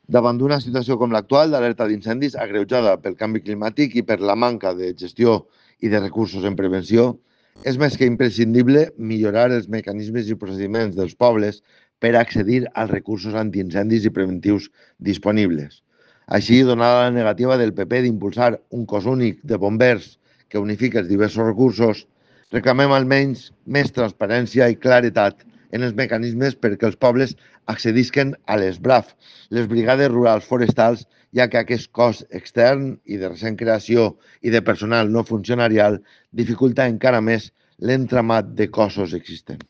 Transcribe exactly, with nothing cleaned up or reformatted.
Davant d'una situació com l'actual d'alerta d'incendis agreujada pel canvi climàtic i per la manca de gestió i de recursos en prevenció, és més que imprescindible millorar els mecanismes i procediments dels pobles per accedir als recursos antiincendis i preventius disponibles. Així, donada la negativa del P P d'impulsar un cos únic de bombers que unifica els diversos recursos, reclamem almenys més transparència i claretat en els mecanismes perquè els pobles accedisquen a les B R A F, les Brigades Rurals Forestals, ja que aquest cos extern i de recent creació i de personal no funcionarial dificulta encara més l'entramat de cossos existents.